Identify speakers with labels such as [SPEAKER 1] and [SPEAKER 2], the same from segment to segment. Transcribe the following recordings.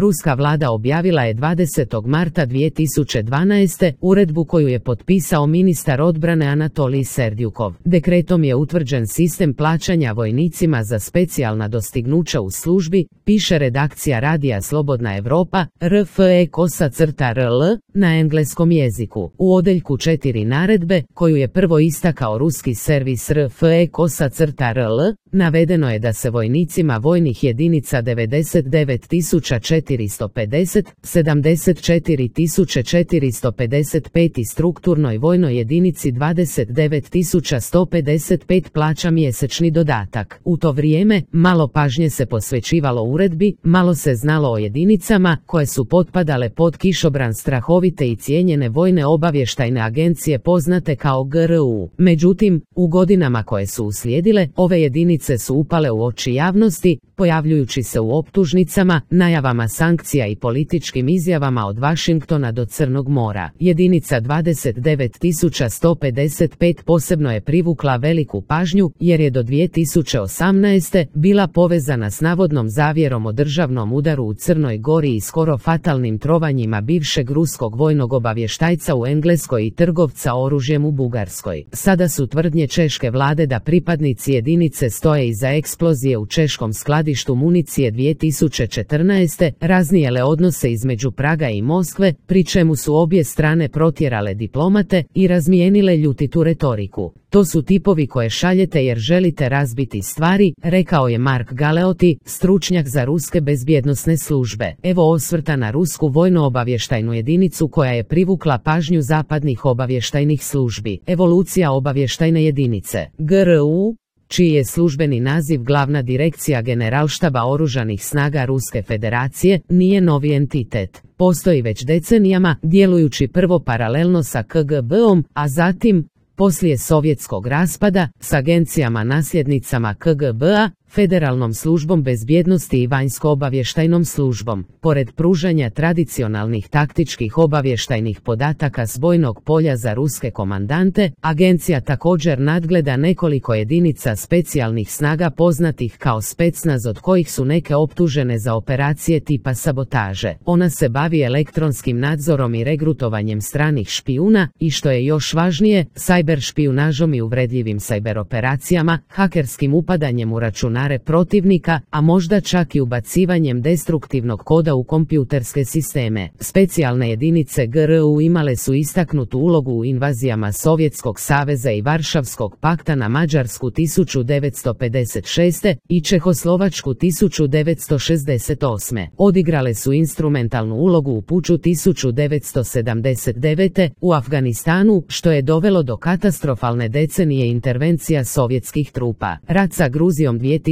[SPEAKER 1] ruska vlada objavila je 20. marta 2012. uredbu koju je potpisao ministar odbrane Anatolij Serdyukov. Dekretom je utvrđen sistem plaćanja vojnicima za specijalna dostignuća u službi, piše redakcija radija Slobodna Evropa, RFE-RL, na engleskom jeziku. U odeljku 4 naredbe, koju je prvo istakao ruski servis RFE-RL, navedeno je da se vojnicima vojnih jedinica 99.450, 74.455 i strukturnoj vojnoj jedinici 29.155 plaća mjesečni dodatak. U to vrijeme, malo pažnje se posvećivalo uredbi, malo se znalo o jedinicama koje su potpadale pod kišobran strahovite i cijenjene vojne obavještajne agencije poznate kao GRU. Međutim, u godinama koje su uslijedile, ove jedinice su upale u oči javnosti, pojavljujući se u optužnicama, najavama sankcija i političkim izjavama od Vašingtona do Crnog mora. Jedinica 29.155 posebno je privukla veliku pažnju, jer je do 2018. bila povezana s navodnom zavjerom o državnom udaru u Crnoj Gori i skoro fatalnim trovanjima bivšeg ruskog vojnog obavještajca u Engleskoj i trgovca oružjem u Bugarskoj. Sada su tvrdnje češke vlade da pripadnici jedinice stoje iza eksplozije u češkom skladištu municije 2014. raznijele odnose između Praga i Moskve, pri čemu su obje strane protjerale diplomate i razmijenile ljutitu retoriku. To su tipovi koje šaljete jer želite razbiti stvari, rekao je Mark Galeotti, stručnjak za ruske bezbjednosne službe. Evo osvrta na rusku vojno-obavještajnu jedinicu koja je privukla pažnju zapadnih obavještajnih službi. Evolucija obavještajne jedinice. GRU, čiji je službeni naziv Glavna direkcija Generalštaba oružanih snaga Ruske federacije, nije novi entitet. Postoji već decenijama, djelujući prvo paralelno sa KGB-om, a zatim, poslije sovjetskog raspada, s agencijama nasljednicama KGB-a, Federalnom službom bezbjednosti i vanjsko-obavještajnom službom. Pored pružanja tradicionalnih taktičkih obavještajnih podataka s bojnog polja za ruske komandante, agencija također nadgleda nekoliko jedinica specijalnih snaga poznatih kao Specnaz, od kojih su neke optužene za operacije tipa sabotaže. Ona se bavi elektronskim nadzorom i regrutovanjem stranih špijuna i, što je još važnije, sajber špijunažom i uvredljivim sajber operacijama, hakerskim upadanjem u računare protivnika, a možda čak i ubacivanjem destruktivnog koda u kompjuterske sisteme. Specijalne jedinice GRU imale su istaknutu ulogu u invazijama Sovjetskog saveza i Varšavskog pakta na Mađarsku 1956. i Čehoslovačku 1968. Odigrale su instrumentalnu ulogu u puču 1979. u Afganistanu, što je dovelo do katastrofalne decenije intervencija sovjetskih trupa. Rat sa Gruzijom 2008.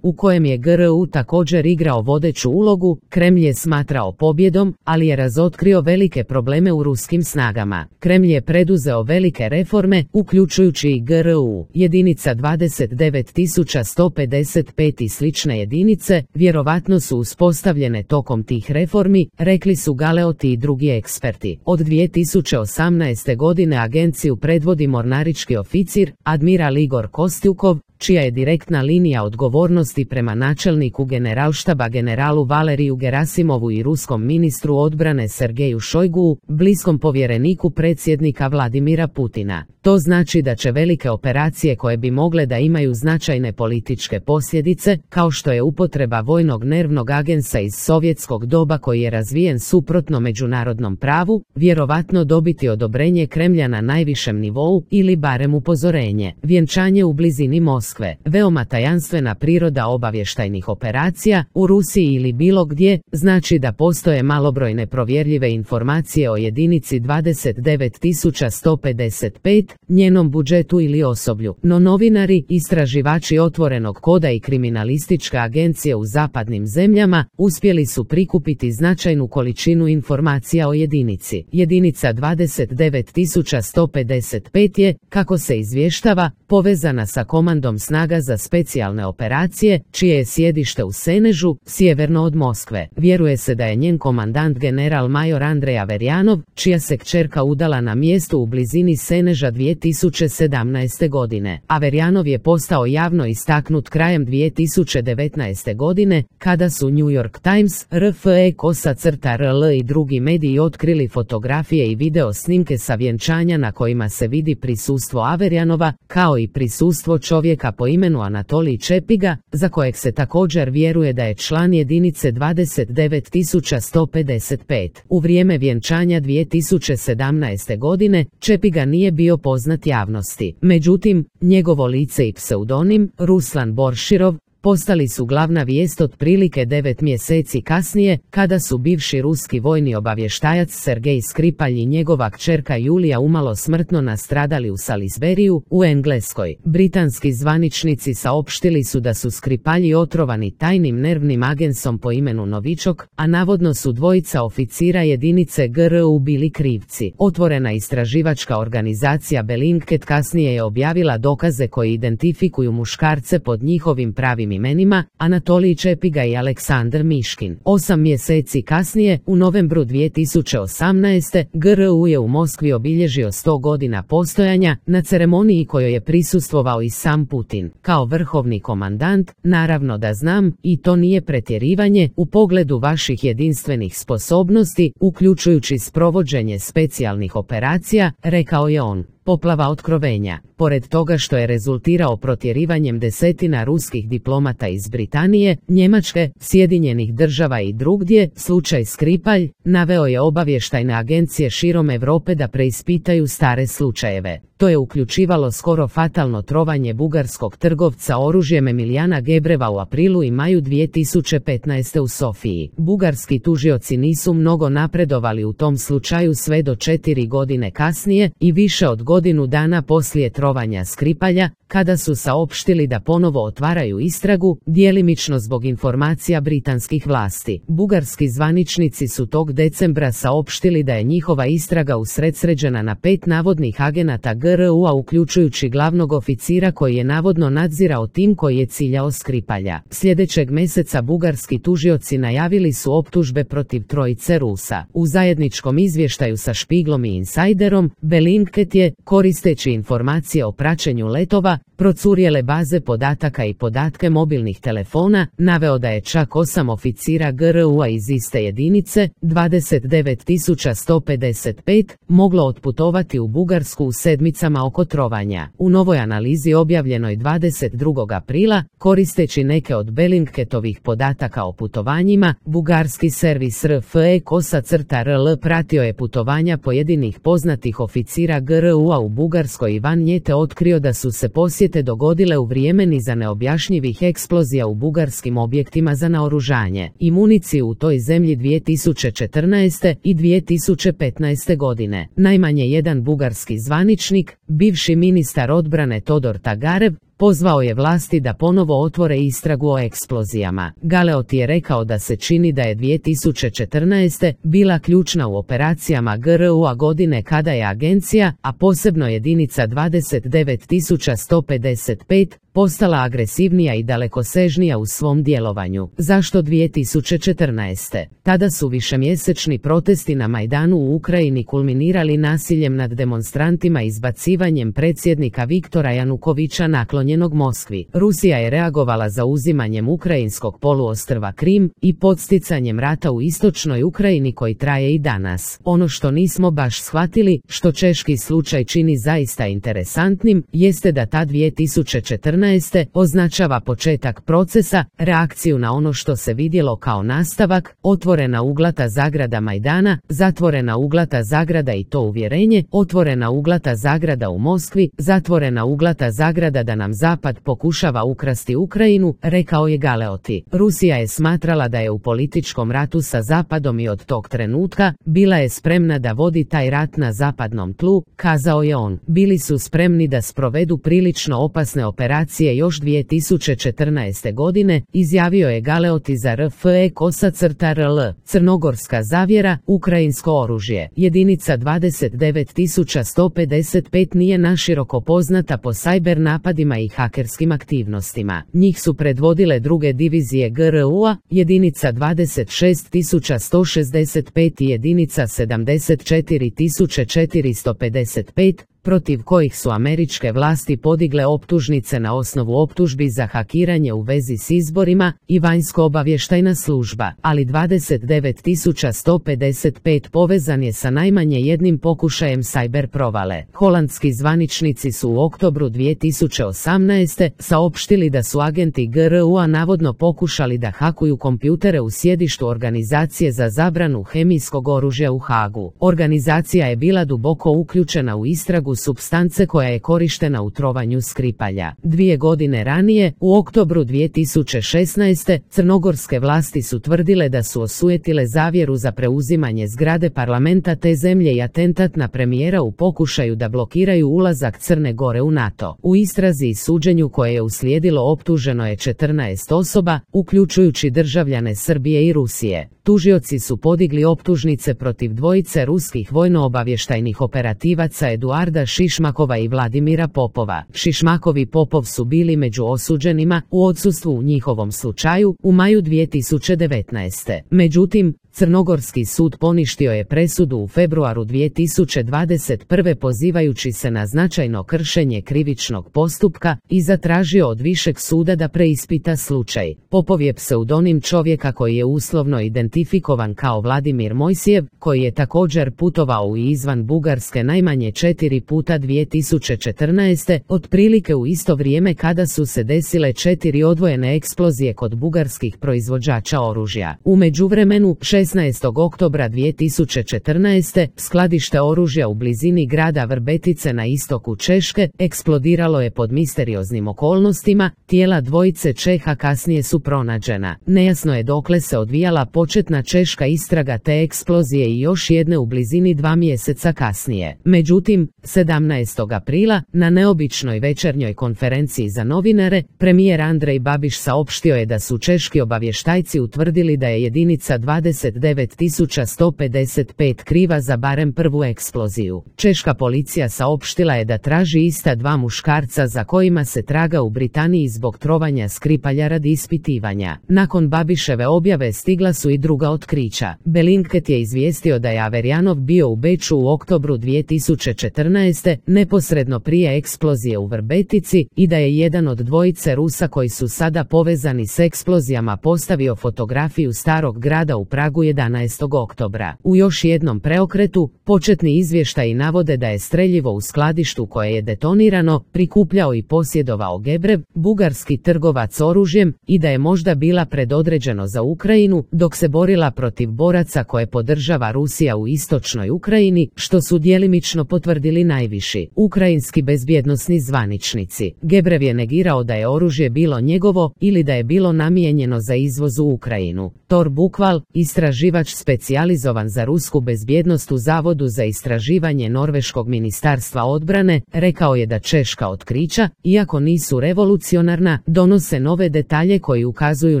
[SPEAKER 1] u kojem je GRU također igrao vodeću ulogu, Kremlj je smatrao pobjedom, ali je razotkrio velike probleme u ruskim snagama. Kremlj je preduzeo velike reforme, uključujući i GRU. Jedinica 29.155 i slične jedinice vjerovatno su uspostavljene tokom tih reformi, rekli su Galeotti i drugi eksperti. Od 2018. godine agenciju predvodi mornarički oficir, admiral Igor Kostyukov, čija je direktna linija odgovornosti prema načelniku generalštaba generalu Valeriju Gerasimovu i ruskom ministru odbrane Sergeju Šojguu, bliskom povjereniku predsjednika Vladimira Putina. To znači da će velike operacije koje bi mogle da imaju značajne političke posljedice, kao što je upotreba vojnog nervnog agensa iz sovjetskog doba koji je razvijen suprotno međunarodnom pravu, vjerovatno dobiti odobrenje Kremlja na najvišem nivou ili barem upozorenje. Vjenčanje u blizini Moskve. Veoma tajanstvena priroda obavještajnih operacija u Rusiji ili bilo gdje znači da postoje malobrojne provjerljive informacije o jedinici 29.155, njenom budžetu ili osoblju. No novinari, istraživači otvorenog koda i kriminalističke agencije u zapadnim zemljama uspjeli su prikupiti značajnu količinu informacija o jedinici. Jedinica 29.155 je, kako se izvještava, povezana sa komandom Centrom snaga za specijalne operacije, čije je sjedište u Senežu, sjeverno od Moskve. Vjeruje se da je njen komandant general major Andrej Averjanov, čija se kćerka udala na mjestu u blizini Seneža 2017. godine. Averjanov je postao javno istaknut krajem 2019. godine, kada su New York Times, RFE-RL i drugi mediji otkrili fotografije i video snimke sa vjenčanja na kojima se vidi prisustvo Averjanova, kao i prisustvo čovjeka po imenu Anatolij Čepiga, za kojeg se također vjeruje da je član jedinice 29155. U vrijeme vjenčanja 2017. godine, Čepiga nije bio poznat javnosti. Međutim, njegovo lice i pseudonim, Ruslan Borširov, postali su glavna vijest otprilike 9 mjeseci kasnije, kada su bivši ruski vojni obavještajac Sergej Skripalj i njegova kćerka Julija umalo smrtno nastradali u Salisburyu, u Engleskoj. Britanski zvaničnici saopštili su da su Skripalji otrovani tajnim nervnim agensom po imenu Novičok, a navodno su dvojica oficira jedinice GRU bili krivci. Otvorena istraživačka organizacija Bellingcat kasnije je objavila dokaze koji identifikuju muškarce pod njihovim pravim imenima, Anatolij Čepiga i Aleksandar Miškin. 8 mjeseci kasnije, u novembru 2018. GRU je u Moskvi obilježio 100 godina postojanja, na ceremoniji kojoj je prisustvovao i sam Putin. Kao vrhovni komandant, naravno da znam, i to nije pretjerivanje, u pogledu vaših jedinstvenih sposobnosti, uključujući sprovođenje specijalnih operacija, rekao je on. Poplava otkrovenja. Pored toga što je rezultirao protjerivanjem desetina ruskih diplomata iz Britanije, Njemačke, Sjedinjenih Država i drugdje, slučaj Skripalj, naveo je obavještajne agencije širom Europe da preispitaju stare slučajeve. To je uključivalo skoro fatalno trovanje bugarskog trgovca oružjem Emilijana Gebreva u aprilu i maju 2015. u Sofiji. Bugarski tužioci nisu mnogo napredovali u tom slučaju sve do 4 godine kasnije i više od godinu dana poslije trovanja Skripalja, kada su saopštili da ponovo otvaraju istragu, djelimično zbog informacija britanskih vlasti. Bugarski zvaničnici su tog decembra saopštili da je njihova istraga usredsređena na 5 navodnih agenata GRU-a uključujući glavnog oficira koji je navodno nadzirao tim koji je ciljao Skripalja. Sljedećeg mjeseca bugarski tužioci najavili su optužbe protiv trojice Rusa. U zajedničkom izvještaju sa Špiglom i Insiderom, Bellingcat je, koristeći informacije o praćenju letova, procurjele baze podataka i podatke mobilnih telefona, naveo da je čak 8 oficira GRU-a iz iste jedinice, 29155, moglo otputovati u Bugarsku u sedmicama oko trovanja. U novoj analizi objavljenoj 22. aprila, koristeći neke od Bellingcatovih podataka o putovanjima, bugarski servis RFE-RL pratio je putovanja pojedinih poznatih oficira GRU-a u Bugarskoj i van nje te otkrio da su se posjete dogodile u vrijeme niza neobjašnjivih eksplozija u bugarskim objektima za naoružanje i municiju u toj zemlji 2014. i 2015. godine. Najmanje jedan bugarski zvaničnik, bivši ministar odbrane Todor Tagarev, pozvao je vlasti da ponovo otvore istragu o eksplozijama. Galeot je rekao da se čini da je 2014. bila ključna u operacijama GRU-a godine kada je agencija, a posebno jedinica 29155, postala agresivnija i dalekosežnija u svom djelovanju. Zašto 2014? Tada su višemjesečni protesti na Majdanu u Ukrajini kulminirali nasiljem nad demonstrantima i izbacivanjem predsjednika Viktora Janukovića naklonjenog Moskvi. Rusija je reagovala zauzimanjem ukrajinskog poluostrva Krim i podsticanjem rata u istočnoj Ukrajini koji traje i danas. Ono što nismo baš shvatili, što češki slučaj čini zaista interesantnim, jeste da ta 2014. označava početak procesa, reakciju na ono što se vidjelo kao nastavak, otvorena uglata zagrada Majdana, zatvorena uglata zagrada i to uvjerenje, otvorena uglata zagrada u Moskvi, zatvorena uglata zagrada da nam Zapad pokušava ukrasti Ukrajinu, rekao je Galeoti. Rusija je smatrala da je u političkom ratu sa Zapadom i od tog trenutka bila je spremna da vodi taj rat na zapadnom tlu, kazao je on. Bili su spremni da sprovedu prilično opasne operacije operacije još 2014. godine, izjavio je Galeoti za RFE-RL. Crnogorska zavjera, ukrajinsko oružje. Jedinica 29155 nije naširoko poznata po sajber napadima i hakerskim aktivnostima. Njih su predvodile druge divizije GRU-a, jedinica 26165 i jedinica 74455, protiv kojih su američke vlasti podigle optužnice na osnovu optužbi za hakiranje u vezi s izborima i vanjsko-obavještajna služba, ali 29155 povezan je sa najmanje jednim pokušajem sajber provale. Holandski zvaničnici su u oktobru 2018. saopštili da su agenti GRU-a navodno pokušali da hakuju kompjutere u sjedištu organizacije za zabranu hemijskog oružja u Hagu. Organizacija je bila duboko uključena u istragu supstance koja je korištena u trovanju Skripalja. 2 godine ranije, u oktobru 2016. crnogorske vlasti su tvrdile da su osujetile zavjeru za preuzimanje zgrade parlamenta te zemlje i atentat na premijera u pokušaju da blokiraju ulazak Crne Gore u NATO. U istrazi i suđenju koje je uslijedilo optuženo je 14 osoba, uključujući državljane Srbije i Rusije. Tužioci su podigli optužnice protiv dvojice ruskih vojno-obavještajnih operativaca Eduarda Šišmakova i Vladimira Popova. Šišmakov i Popov su bili među osuđenima u odsustvu u njihovom slučaju u maju 2019. Međutim, Crnogorski sud poništio je presudu u februaru 2021. pozivajući se na značajno kršenje krivičnog postupka i zatražio od višeg suda da preispita slučaj. Popov je pseudonim čovjeka koji je uslovno identifikovan kao Vladimir Mojsijev, koji je također putovao u i izvan Bugarske najmanje 4 puta 2014. otprilike u isto vrijeme kada su se desile 4 odvojene eksplozije kod bugarskih proizvođača oružja. U međuvremenu, 16. oktobra 2014. skladište oružja u blizini grada Vrbetice na istoku Češke eksplodiralo je pod misterioznim okolnostima, tijela dvojice Čeha kasnije su pronađena. Nejasno je dokle se odvijala početna češka istraga te eksplozije i još jedne u blizini 2 mjeseca kasnije. Međutim, 17. aprila, na neobičnoj večernjoj konferenciji za novinare, premijer Andrej Babiš saopštio je da su češki obavještajci utvrdili da je jedinica 29155 kriva za barem prvu eksploziju. Češka policija saopštila je da traži ista 2 muškarca za kojima se traga u Britaniji zbog trovanja Skripalja radi ispitivanja. Nakon Babiševe objave stigla su i druga otkrića. Bellingcat je izvijestio da je Averjanov bio u Beču u oktobru 2014. neposredno prije eksplozije u Vrbetici i da je jedan od dvojice Rusa koji su sada povezani s eksplozijama postavio fotografiju starog grada u Pragu 11. oktobra. U još jednom preokretu, početni izvještaji navode da je streljivo u skladištu koje je detonirano prikupljao i posjedovao Gebrev, bugarski trgovac oružjem, i da je možda bila predodređeno za Ukrajinu, dok se borila protiv boraca koje podržava Rusija u istočnoj Ukrajini, što su djelimično potvrdili najviši ukrajinski bezbjednosni zvaničnici. Gebrev je negirao da je oružje bilo njegovo ili da je bilo namijenjeno za izvoz u Ukrajinu. Tor Bukval, istraživač specijalizovan za rusku bezbjednost u Zavodu za istraživanje Norveškog ministarstva odbrane, rekao je da češka otkrića, iako nisu revolucionarna, donose nove detalje koji ukazuju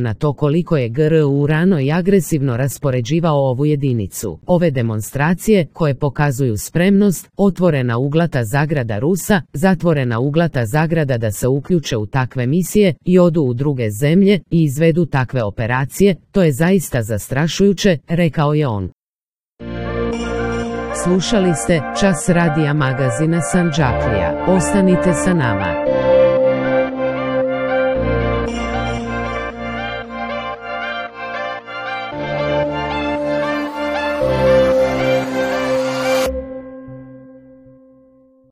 [SPEAKER 1] na to koliko je GRU rano i agresivno raspoređivao ovu jedinicu. Ove demonstracije, koje pokazuju spremnost, otvorena uglata zagrada Rusa, zatvorena uglata zagrada da se uključe u takve misije i odu u druge zemlje i izvedu takve operacije, to je zaista zastrašujuće, rekao je on. Slušali ste Čas radija magazina Sandžaklija. Ostanite sa nama.